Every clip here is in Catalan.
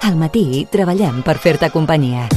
Al matí treballem per fer-te companyia.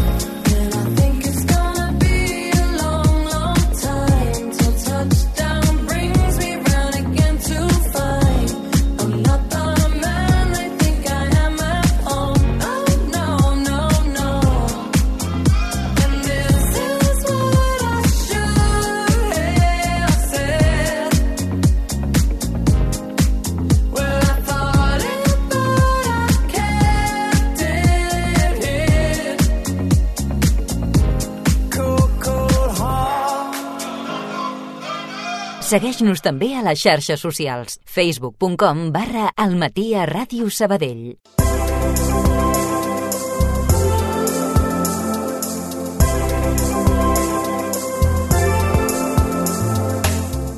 Segueix-nos també a les xarxes socials. facebook.com/almatiaradiosabadell.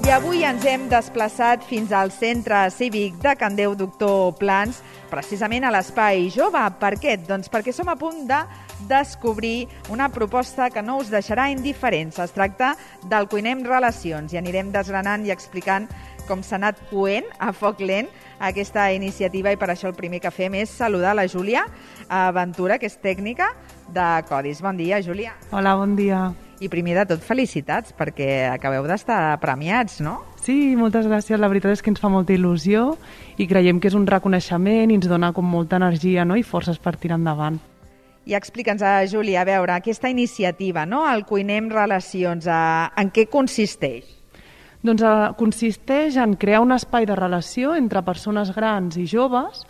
I avui ens hem desplaçat fins al Centre Cívic de Can Déu Doctor Plans, precisament a l'Espai Jove. Per què? Doncs perquè som a punt de descobrir una proposta que no us deixarà indiferents. Es tracta del Cuinem Relacions i anirem desgranant i explicant com s'ha anat coent a foc lent aquesta iniciativa, i per això el primer que fem és saludar la Júlia Ventura, que és tècnica de Codis. Bon dia, Júlia. Hola, bon dia. I primer de tot, felicitats, perquè acabeu d'estar premiats, no? Sí, moltes gràcies. La veritat és que ens fa molta il·lusió i creiem que és un reconeixement i ens dona com molta energia, no? I forces per tirar endavant. I explica'ns, Júlia, a veure, aquesta iniciativa, no? El Cuinem Relacions, en què consisteix? Doncs consisteix en crear un espai de relació entre persones grans i joves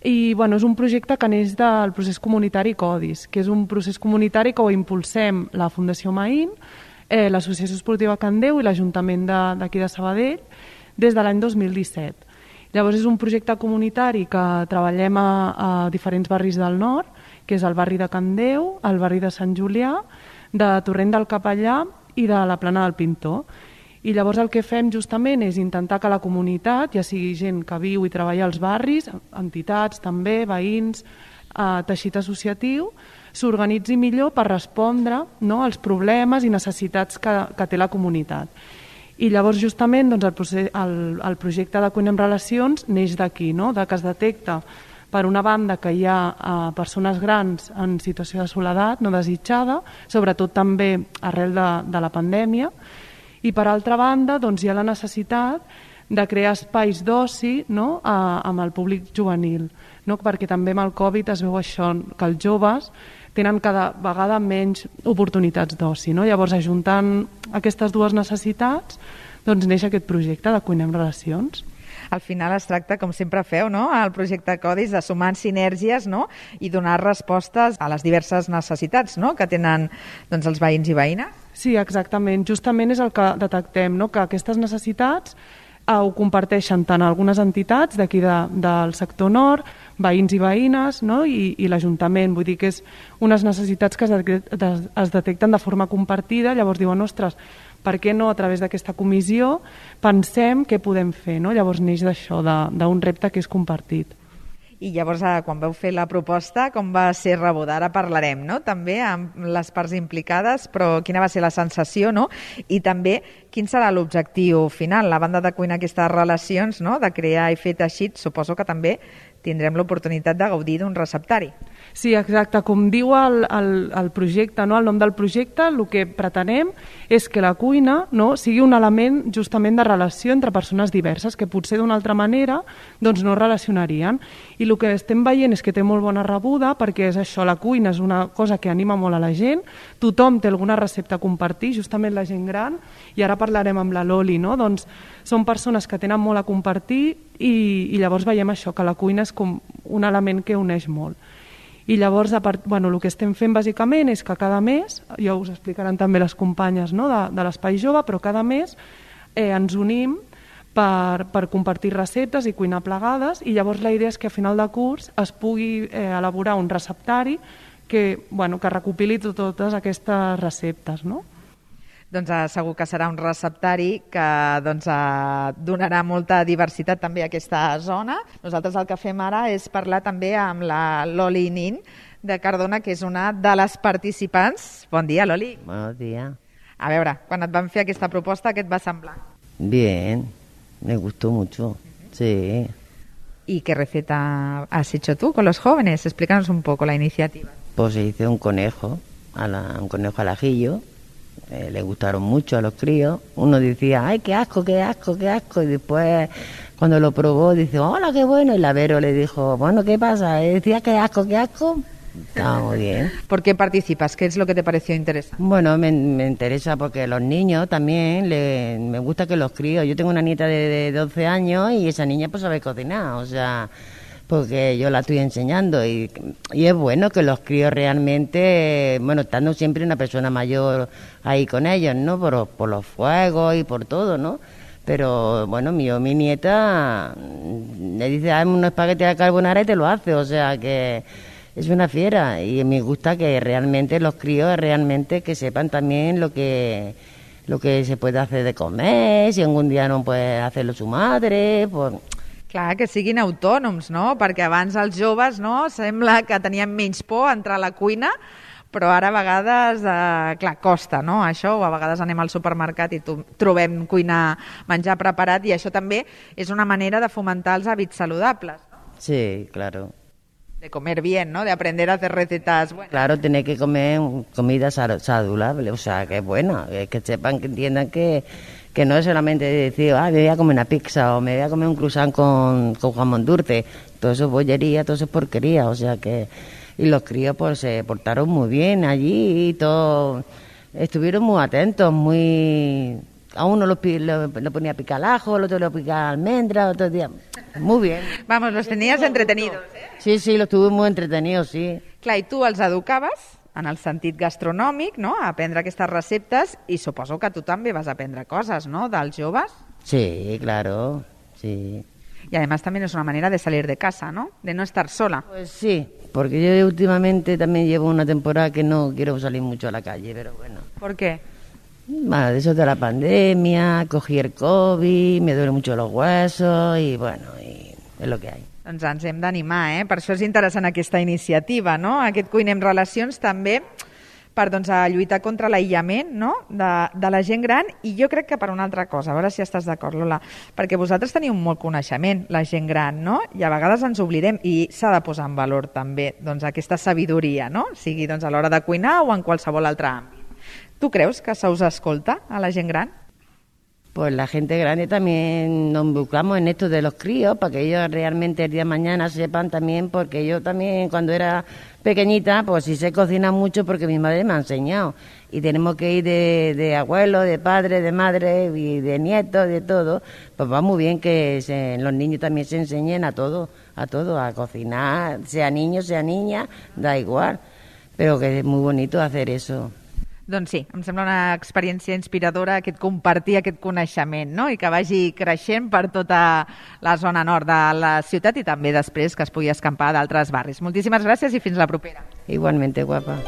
i és un projecte que neix del procés comunitari Codis, que és un procés comunitari que ho impulsem la Fundació Maín, l'Associació Esportiva Can Déu i l'Ajuntament d'aquí de Sabadell des de l'any 2017. Llavors és un projecte comunitari que treballem a diferents barris del nord, que és el barri de Can Déu, el barri de Sant Julià, de Torrent del Capellà i de la Plana del Pintor. I llavors el que fem justament és intentar que la comunitat, ja sigui gent que viu i treballa als barris, entitats també, veïns, teixit associatiu, s'organitzi millor per respondre, no, als problemes i necessitats que té la comunitat. I llavors justament el projecte de Cuinem Relacions neix d'aquí, no? De que es detecta per una banda que hi ha persones grans en situació de soledat no desitjada, sobretot també arrel de la pandèmia, i per altra banda hi ha la necessitat de crear espais d'oci, no? Amb el públic juvenil, no? Perquè també amb el Covid es veu això, que els joves tenen cada vegada menys oportunitats d'oci, no? Llavors, ajuntant aquestes dues necessitats, neix aquest projecte de Cuinem Relacions. Al final es tracta, com sempre feu, no? El projecte Codis, de sumar sinergies, no? I donar respostes a les diverses necessitats, no? Que tenen els veïns i veïnes. Sí, exactament. Justament és el que detectem, no? Que aquestes necessitats ho comparteixen tant algunes entitats d'aquí del sector nord, veïns i veïnes, no? I l'Ajuntament. Vull dir que és unes necessitats que es detecten de forma compartida. Llavors diuen, ostres, per què no a través d'aquesta comissió pensem què podem fer, no? Llavors neix d'això, d'un repte que és compartit. I llavors, quan vau fer la proposta, com va ser rebuda? Ara parlarem, no?, també amb les parts implicades, però quina va ser la sensació, no? I també, quin serà l'objectiu final? A banda de cuinar aquestes relacions, no?, de crear i fer teixit, suposo que també tindrem l'oportunitat de gaudir d'un receptari. Sí, exacte. Com diu el projecte, no? El nom del projecte, el que pretenem és que la cuina, no, sigui un element justament de relació entre persones diverses que potser d'una altra manera no es relacionarien. I el que estem veient és que té molt bona rebuda, perquè és això, la cuina és una cosa que anima molt a la gent, tothom té alguna recepta a compartir, justament la gent gran, i ara parlarem amb la Loli, no? Doncs són persones que tenen molt a compartir i llavors veiem això, que la cuina és com un element que uneix molt. I llavors, el que estem fent bàsicament és que cada mes, ja us explicaran també les companyes, no?, de l'Espai Jove, però cada mes ens unim per compartir receptes i cuinar plegades, i llavors la idea és que a final de curs es pugui elaborar un receptari que recopili totes aquestes receptes, no? Doncs segur que serà un receptari que donarà molta diversitat també a aquesta zona. Nosaltres el que fem ara és parlar també amb la Loli Nin de Cardona, que és una de les participants. Bon dia, Loli. Bon dia. A veure, quan et van fer aquesta proposta, què et va semblar? Bien, me gustó mucho, sí. ¿Y qué receta has hecho tú con los jóvenes? Explícanos un poco la iniciativa. Pues hice un conejo, un conejo al ajillo. Le gustaron mucho a los críos. Uno decía, ay, qué asco, qué asco, qué asco. Y después, cuando lo probó, dice, hola, qué bueno. Y la Vero le dijo, bueno, ¿qué pasa? Y decía, qué asco, qué asco. Estaba muy bien. ¿Por qué participas? ¿Qué es lo que te pareció interesante? Bueno, me interesa porque los niños también, me gusta que los críos. Yo tengo una nieta de 12 años y esa niña pues sabe cocinar, o sea, porque yo la estoy enseñando y es bueno que los críos realmente, bueno, estando siempre una persona mayor ahí con ellos, ¿no? Por los fuegos y por todo, ¿no? Pero bueno, mi nieta le dice, hazme unos espaguetis de carbonara y te lo hace, o sea que es una fiera y me gusta que realmente los críos realmente que sepan también lo que se puede hacer de comer, si algún dia no puede hacerlo su madre, pues... Clar, que siguin autònoms, no? Perquè abans els joves, no?, sembla que tenien menys por a entrar a la cuina, però ara a vegades, clar, costa, no?, això, o a vegades anem al supermercat i trobem cuinar, menjar preparat, i això també és una manera de fomentar els hàbits saludables, no? Sí, claro. De comer bien, ¿no? De aprender a hacer recetas buenas. Claro, tener que comer comida saludable, o sea, que es buena, que sepan, que entiendan que no es solamente decir, me voy a comer una pizza o me voy a comer un croissant con jamón dulce. Todo eso es bollería, todo eso es porquería, o sea que... Y los críos pues se portaron muy bien allí y todo... Estuvieron muy atentos, muy... A uno lo ponía a picar ajo, al otro lo picaba almendra, otro día... Muy bien. Vamos, los tenías entretenidos, eh? Sí, los tuve muy entretenidos, sí. Clar, i tu els educaves en el sentit gastronòmic, no?, a aprendre aquestes receptes, i suposo que tu també vas aprendre coses, ¿no?, dels joves. Sí, claro, sí. Y además también es una manera de salir de casa, ¿no?, de no estar sola. Pues sí, porque yo últimamente también llevo una temporada que no quiero salir mucho a la calle, pero bueno. ¿Por qué? Bueno, de eso de la pandemia, cogí el COVID, me duelen mucho los huesos y bueno, y es lo que hay. Doncs ens hem d'animar, eh? Per això és interessant aquesta iniciativa, no? Aquest Cuinem Relacions també per a lluitar contra l'aïllament, no?, de la gent gran, i jo crec que per una altra cosa, a veure si estàs d'acord, Lola, perquè vosaltres teniu molt coneixement, la gent gran, no?, i a vegades ens oblidem, i s'ha de posar en valor també aquesta sabidoria, no?, sigui a l'hora de cuinar o en qualsevol altre àmbit. ¿Tú crees que se os escolta a la gente gran? Pues la gente grande también nos involucramos en esto de los críos para que ellos realmente el día de mañana sepan también, porque yo también cuando era pequeñita pues sí sé cocinar mucho porque mi madre me ha enseñado y tenemos que ir de abuelo, de padre, de madre y de nieto, de todo, pues va muy bien que los niños también se enseñen a todo, a cocinar, sea niño, sea niña, da igual, pero que es muy bonito hacer eso. Doncs sí, em sembla una experiència inspiradora compartir aquest coneixement, no?, i que vagi creixent per tota la zona nord de la ciutat i també després que es pugui escampar d'altres barris. Moltíssimes gràcies i fins la propera. Igualmente, guapa.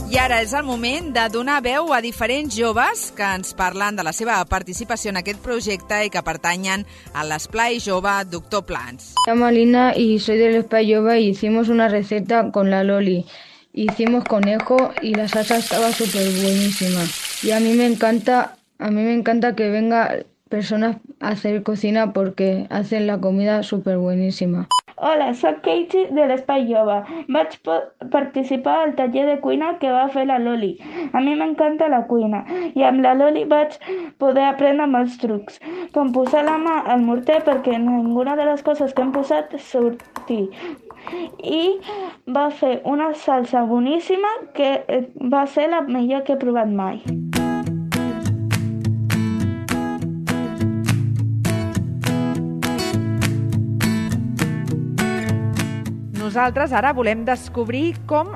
I ara és el moment de donar veu a diferents joves que ens parlen de la seva participació en aquest projecte i que pertanyen a l'Esplai Jove Doctor Plans. Me llamo Lina y soy del Esplai Jove y hicimos una receta con la Loli. Hicimos conejo y la salsa estaba súper buenísima. Y a mí me encanta que venga personas a hacer cocina porque hacen la comida súper buenísima. Hola, soc Katie de l'Espai Jove. Vaig participar al taller de cuina que va fer la Loli. A mi m'encanta la cuina i amb la Loli vaig poder aprendre molts trucs, com posar la mà al morter perquè ninguna de les coses que hem posat surti. I va fer una salsa boníssima que va ser la millor que he provat mai. Nosaltres ara volem descobrir com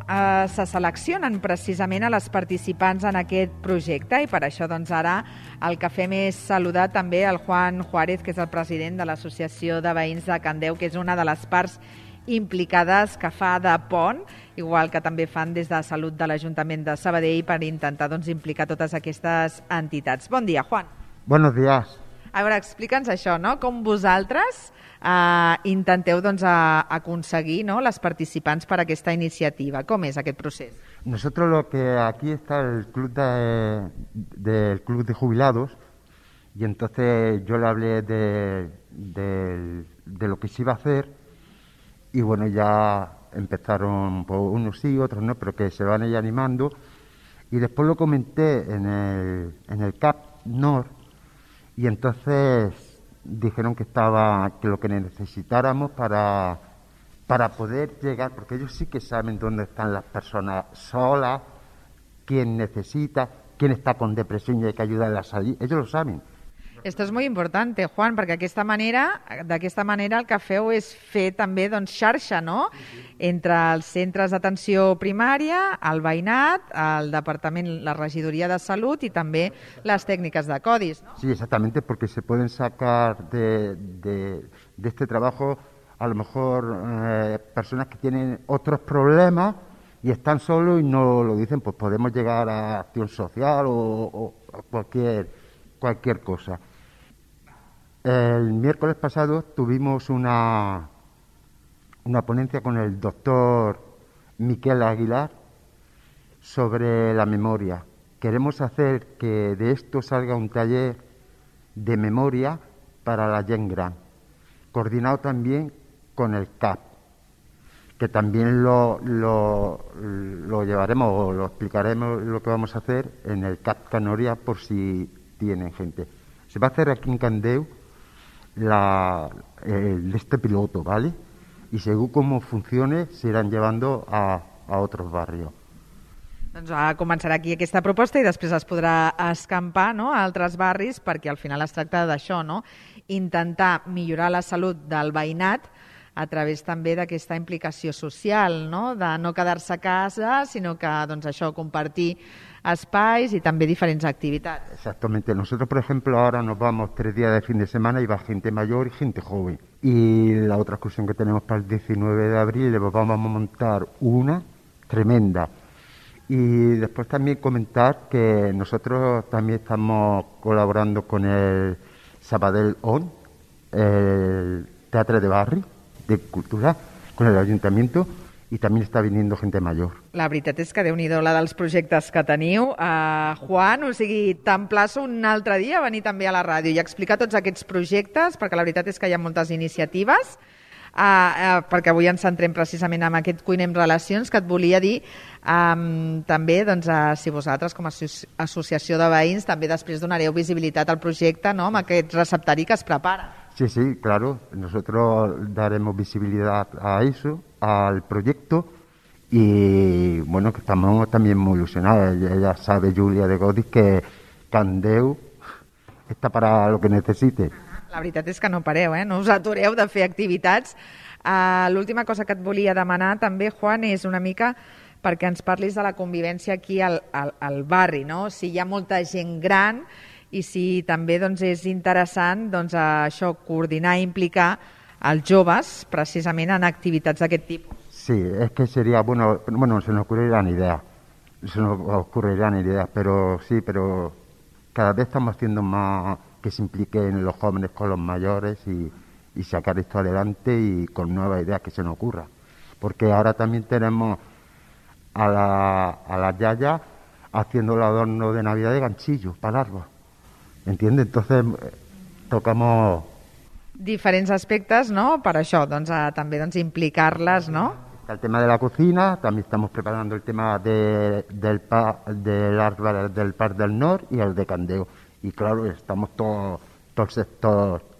se seleccionen precisament a les participants en aquest projecte i per això doncs ara el que fem és saludar també el Juan Juárez, que és el president de l'Associació de Veïns de Candeu, que és una de les parts implicades que fa de pont, igual que també fan des de Salut de l'Ajuntament de Sabadell per intentar doncs, implicar totes aquestes entitats. Bon dia, Juan. Buenos días. A veure, explica'ns això, no? Com vosaltres intenteu doncs, aconseguir, no, les participants per a aquesta iniciativa. Com és aquest procés? Nosotros lo que aquí está el club del club de jubilados, y entonces yo le hablé de lo que se iba a hacer, y bueno, ya empezaron pues, unos sí, otros no, pero que se van ya animando, y después lo comenté en el CAP Nord, y entonces dijeron que lo que necesitáramos para poder llegar, porque ellos sí que saben dónde están las personas solas, quién necesita, quién está con depresión y hay que ayudarle a salir, ellos lo saben. Esto és molt important, Juan, perquè d'aquesta manera el que feu és fer també doncs, xarxa, no?, entre els centres d'atenció primària, el veïnat, el departament, la regidoria de salut i també les tècniques de codis, ¿no? Sí, exactamente, porque se pueden sacar de este trabajo a lo mejor personas que tienen otros problemas y están solos y no lo dicen, pues podemos llegar a acción social o cualquier cosa. El miércoles pasado tuvimos una ponencia con el doctor Miquel Aguilar sobre la memoria. Queremos hacer que de esto salga un taller de memoria para la gent gran, coordinado también con el CAP, que también lo llevaremos o lo explicaremos lo que vamos a hacer en el CAP Canoria por si tienen gente. Se va a hacer aquí en Candeu este piloto, ¿vale? Y según cómo funcione se irán llevando a otros barrios. Doncs començarà aquí aquesta proposta i després es podrà escampar, no?, a altres barris, perquè al final es tracta d'això, no?, intentar millorar la salut del veïnat a través també d'aquesta implicació social, no?, de no quedar-se a casa, sinó que, doncs això, compartir espais y también diferentes actividades. Exactamente. Nosotros, por ejemplo, ahora nos vamos 3 días de fin de semana y va gente mayor y gente joven. Y la otra excursión que tenemos para el 19 de abril, le vamos a montar una tremenda. Y después también comentar que nosotros también estamos colaborando con el Sabadell On, el Teatre de Barri, de Cultura, con el Ayuntamiento, i també està viniendo gente mayor. La veritat és que Déu-n'hi-do la dels projectes que teniu. Juan, o sigui, t'emplaço un altre dia a venir també a la ràdio i explicar tots aquests projectes, perquè la veritat és que hi ha moltes iniciatives, perquè avui ens centrem precisament en aquest Cuinem Relacions, que et volia dir també doncs, si vosaltres com a associació de veïns també després donareu visibilitat al projecte, no?, amb aquest receptari que es prepara. Sí, sí, claro. Nosotros daremos visibilidad a eso, al proyecto, y bueno, que estamos también muy ilusionados. Ella sabe, Julia de Godis, que Candeu està para lo que necessite. La veritat és que no pareu, no us atureu de fer activitats. L'última cosa que et volia demanar també, Juan, és una mica perquè ens parlis de la convivència aquí al barri, no? Si hi ha molta gent gran i si també doncs, és interessant doncs, això, coordinar i implicar els joves precisament en activitats d'aquest tipus. Sí, es que sería bueno, se nos ocurrirán ideas, pero sí, pero cada vez estamos haciendo más que se impliquen los jóvenes con los mayores y sacar esto adelante y con nuevas ideas que se nos ocurra. Porque ahora también tenemos a la yaya haciendo el adorno de Navidad de ganchillo para el árbol. ¿Entiendes? Entonces tocamos diferents aspectes, no?, per això, doncs, també doncs, implicar-les, no? El tema de la cocina, también estamos preparando el tema del árbol del Parc del Nord y el de Candeu. Y claro, estamos todos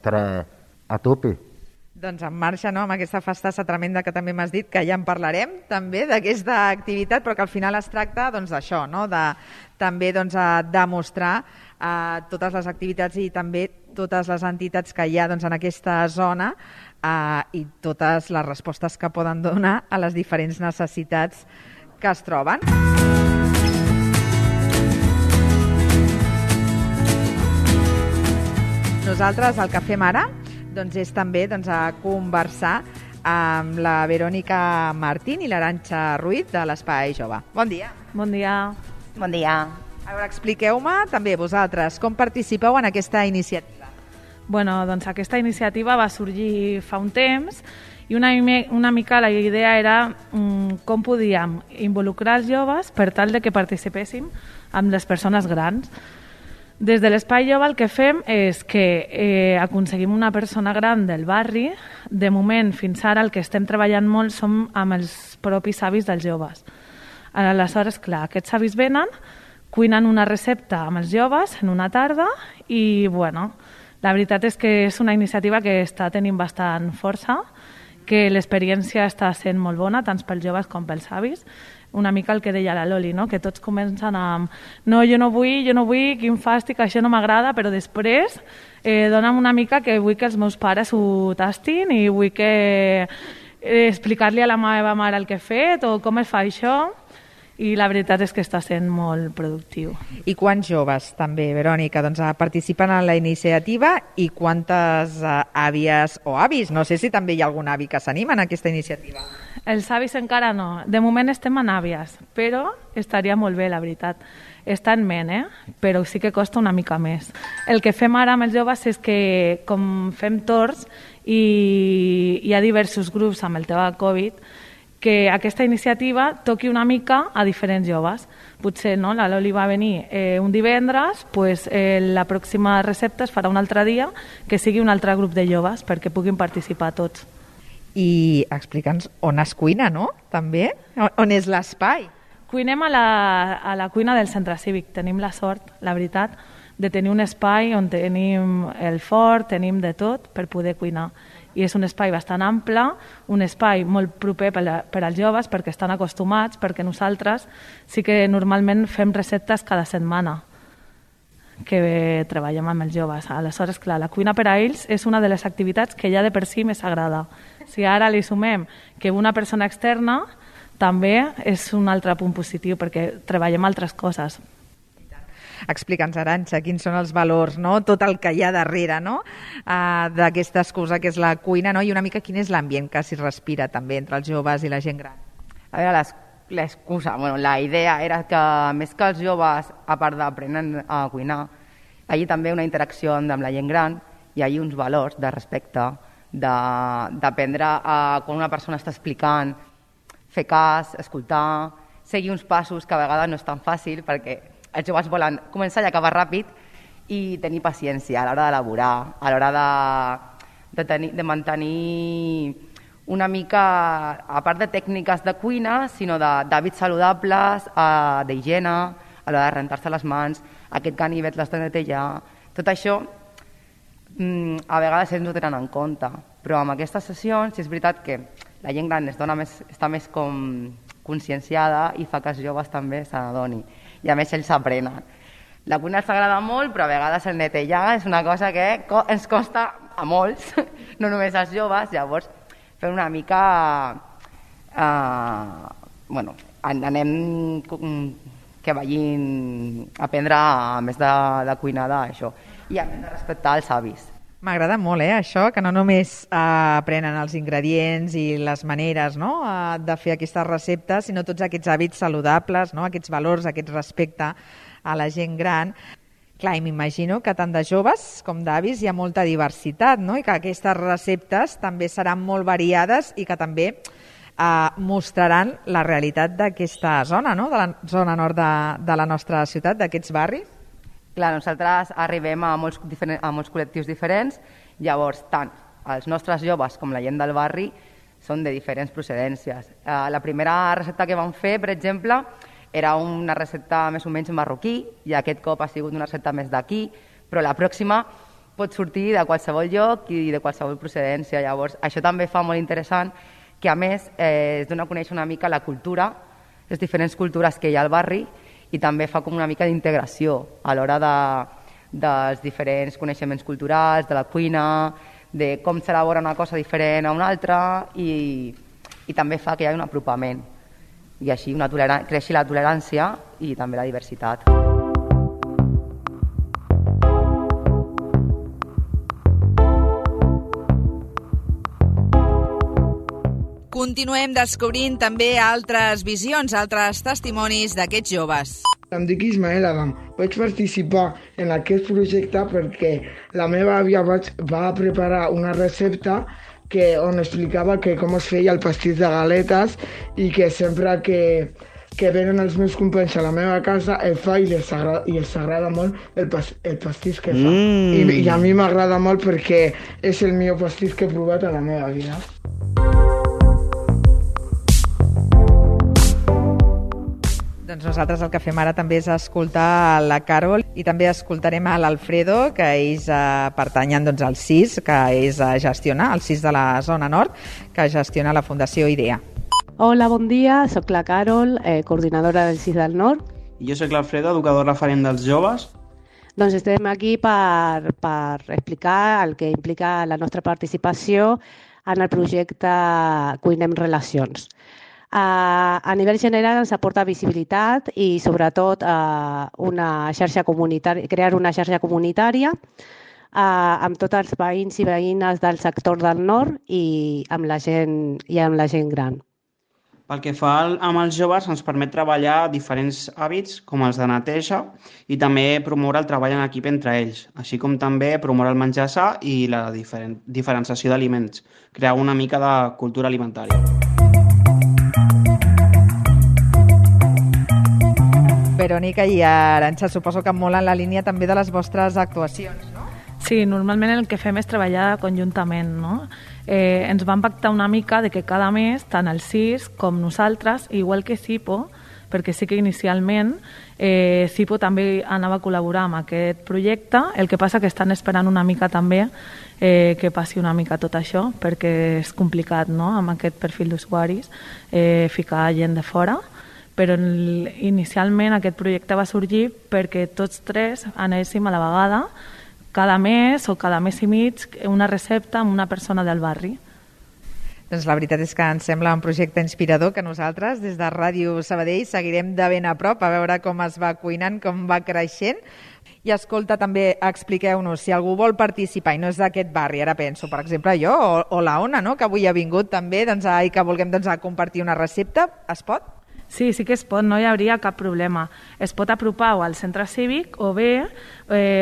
tres a tope. Doncs en marxa, no?, amb aquesta festassa tremenda que també m'has dit, que ja en parlarem també d'aquesta activitat, però que al final es tracta doncs, d'això, no?, de també doncs, demostrar totes les activitats i també totes les entitats que hi ha doncs, en aquesta zona i totes les respostes que poden donar a les diferents necessitats que es troben. Nosaltres el que fem ara doncs, és també doncs, a conversar amb la Verònica Martín i l'Arantxa Ruiz de l'Espai Jove. Bon dia. Bon dia. Bon dia. A veure, expliqueu-me també vosaltres com participeu en aquesta iniciativa. Bueno, doncs aquesta iniciativa va sorgir fa un temps I una mica la idea era com podíem involucrar els joves per tal de que participéssim amb les persones grans. Des de l'Espai Jove el que fem és que aconseguim una persona gran del barri. De moment, fins ara, el que estem treballant molt som amb els propis avis dels joves. Aleshores, clar, aquests avis venen, cuinen una recepta amb els joves en una tarda i, bueno, la veritat és que és una iniciativa que està tenint bastant força, que l'experiència està sent molt bona, tant pels joves com pels avis. Una mica el que deia la Loli, no? Que tots comencen amb no, jo no vull, quin fàstic, això no m'agrada, però després dona'm una mica que vull que els meus pares ho tastin i vull que explicar-li a la meva mare el que he fet o com es fa això. I la veritat és que està sent molt productiu. I quants joves també, Verònica, doncs, participen en la iniciativa i quantes àvies o avis? No sé si també hi ha algun avi que s'anima en aquesta iniciativa. Els avis encara no. De moment estem en àvies, però estaria molt bé, la veritat. Està en ment, però sí que costa una mica més. El que fem ara amb els joves és que, com fem torns i hi ha diversos grups amb el tema de Covid, que aquesta iniciativa toqui una mica a diferents joves. Potser no, la Loli va venir un divendres, pues, la pròxima recepta es farà un altre dia, que sigui un altre grup de joves perquè puguin participar tots. I explica'ns on es cuina, no? També? On és l'espai? Cuinem a la cuina del centre cívic. Tenim la sort, la veritat, de tenir un espai on tenim el forn, tenim de tot per poder cuinar. I és un espai bastant ample, un espai molt proper per als joves perquè estan acostumats, perquè nosaltres sí que normalment fem receptes cada setmana que treballem amb els joves. Aleshores, clar, la cuina per a ells és una de les activitats que ja de per si més agrada. Si ara li sumem que una persona externa, també és un altre punt positiu perquè treballem altres coses. Explica'ns, Arantxa, quins són els valors, no? Tot el que hi ha darrere, no? D'aquesta excusa que és la cuina, no? I una mica quin és l'ambient que s'hi respira també entre els joves i la gent gran. A veure, l'excusa, bueno, la idea era que més que els joves, a part d'aprenen a cuinar, hi ha també una interacció amb la gent gran, hi ha uns valors de respecte, d'aprendre quan una persona està explicant, fer cas, escoltar, seguir uns passos que a vegades no és tan fàcil perquè els joves volen començar i acabar ràpid i tenir paciència a l'hora d'elaborar, a l'hora de mantenir una mica, a part de tècniques de cuina, sinó d'hàbits saludables, d'higiene, a l'hora de rentar-se les mans, aquest ganivet l'has de netejar. Tot això a vegades ells no tenen en compte, però amb aquestes sessions és veritat que la gent gran està més com conscienciada i fa que els joves també se n'adoni. I a més ells s'aprenen. La cuina els agrada molt, però a vegades el netejar és una cosa que ens costa a molts, no només als joves, llavors fem una mica... anem que vagin a aprendre més de cuinar d'això i a més de respectar els avis. M'agrada molt, això, que no només aprenen els ingredients i les maneres, no?, de fer aquestes receptes, sinó tots aquests hàbits saludables, no?, aquests valors, aquest respecte a la gent gran. Clar, i m'imagino que tant de joves com d'avis hi ha molta diversitat, no?, i que aquestes receptes també seran molt variades i que també mostraran la realitat d'aquesta zona, no?, de la zona nord de la nostra ciutat, d'aquests barris. Clar, nosaltres arribem a molts col·lectius diferents, llavors tant els nostres joves com la gent del barri són de diferents procedències. La primera recepta que vam fer, per exemple, era una recepta més o menys marroquí i aquest cop ha sigut una recepta més d'aquí, però la pròxima pot sortir de qualsevol lloc i de qualsevol procedència. Llavors, això també fa molt interessant que, a més, es dona a conèixer una mica la cultura, les diferents cultures que hi ha al barri, i també fa com una mica d'integració a l'hora dels diferents coneixements culturals, de la cuina, de com s'elabora una cosa diferent a una altra i també fa que hi hagi un apropament i així creixi la tolerància i també la diversitat. Continuem descobrint també altres visions, altres testimonis d'aquests joves. Em dic Ismael Adam. Vaig participar en aquest projecte perquè la meva àvia va preparar una recepta on explicava que com es feia el pastís de galetes i que sempre que venen els meus companys a la meva casa el fa i els agrada molt el pastís que fa. I a mi m'agrada molt perquè és el millor pastís que he provat a la meva vida. Doncs nosaltres el que fem ara també és escoltar la Carol i també escoltarem a l'Alfredo, que ells pertanyen doncs, al CIS, que és gestiona, el CIS de la zona nord, que gestiona la Fundació IDEA. Hola, bon dia, soc la Carol, coordinadora del CIS del Nord. I jo soc l'Alfredo, educador referent dels joves. Doncs estem aquí per explicar el que implica la nostra participació en el projecte Cuinem Relacions. A nivell general ens aporta visibilitat i sobretot una xarxa comunitària, crear una xarxa comunitària amb tots els veïns i veïnes del sector del nord i amb la gent gran. Pel que fa amb els joves ens permet treballar diferents hàbits com els de neteja i també promoure el treball en equip entre ells, així com també promoure el menjar sa i la diferenciació d'aliments, crear una mica de cultura alimentària. Verònica i Arantxa, suposo que molt en la línia també de les vostres actuacions, no? Sí, normalment el que fem és treballar conjuntament, no? Ens vam pactar una mica de que cada mes, tant el CIS com nosaltres, igual que CIPO, perquè sí que inicialment CIPO també anava a col·laborar amb aquest projecte, el que passa que estan esperant una mica també que passi una mica tot això, perquè és complicat, no?, amb aquest perfil d'usuaris, ficar gent de fora, però inicialment aquest projecte va sorgir perquè tots tres anéssim a la vegada cada mes o cada mes i mig una recepta amb una persona del barri. Doncs la veritat és que ens sembla un projecte inspirador que nosaltres des de Ràdio Sabadell seguirem de ben a prop a veure com es va cuinant, com va creixent. I escolta, també expliqueu-nos, si algú vol participar i no és d'aquest barri, ara penso, per exemple, jo o la Ona, no?, que avui ha vingut també i que vulguem compartir una recepta, es pot? Sí, sí que es pot, no hi hauria cap problema. Es pot apropar o al centre cívic o bé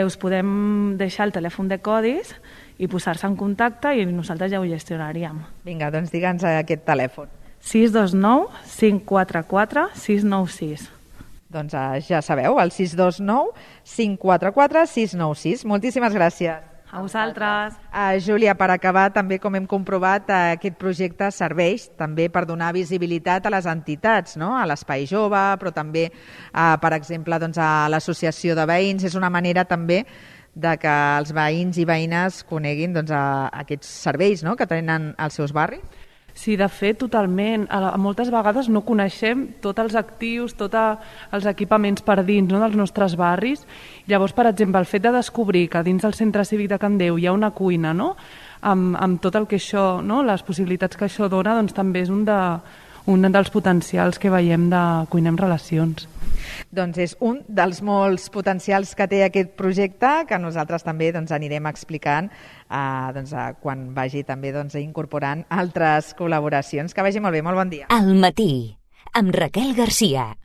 us podem deixar el telèfon de codis i posar-se en contacte i nosaltres ja ho gestionaríem. Vinga, doncs digue'ns aquest telèfon. 629 544 696. Doncs ja sabeu, el 629 544 696. Moltíssimes gràcies. A vosaltres. Júlia, per acabar, també com hem comprovat, aquest projecte serveix també per donar visibilitat a les entitats, no?, a l'Espai Jove, però també, per exemple, a l'Associació de Veïns. És una manera també de que els veïns i veïnes coneguin aquests serveis, no?, que tenen als seus barris. Sí, de fet, totalment. Moltes vegades no coneixem tots els actius, tots els equipaments per dins, no?, dels nostres barris. Llavors, per exemple, el fet de descobrir que dins del Centre Cívic de Can Déu hi ha una cuina, no?, amb tot el que això, no?, les possibilitats que això dona, doncs també és un dels potencials que veiem de Cuinem Relacions. Doncs és un dels molts potencials que té aquest projecte, que nosaltres també anirem explicant quan vagi també incorporant altres col·laboracions. Que vagi molt bé, molt bon dia. Al matí, amb Raquel Garcia.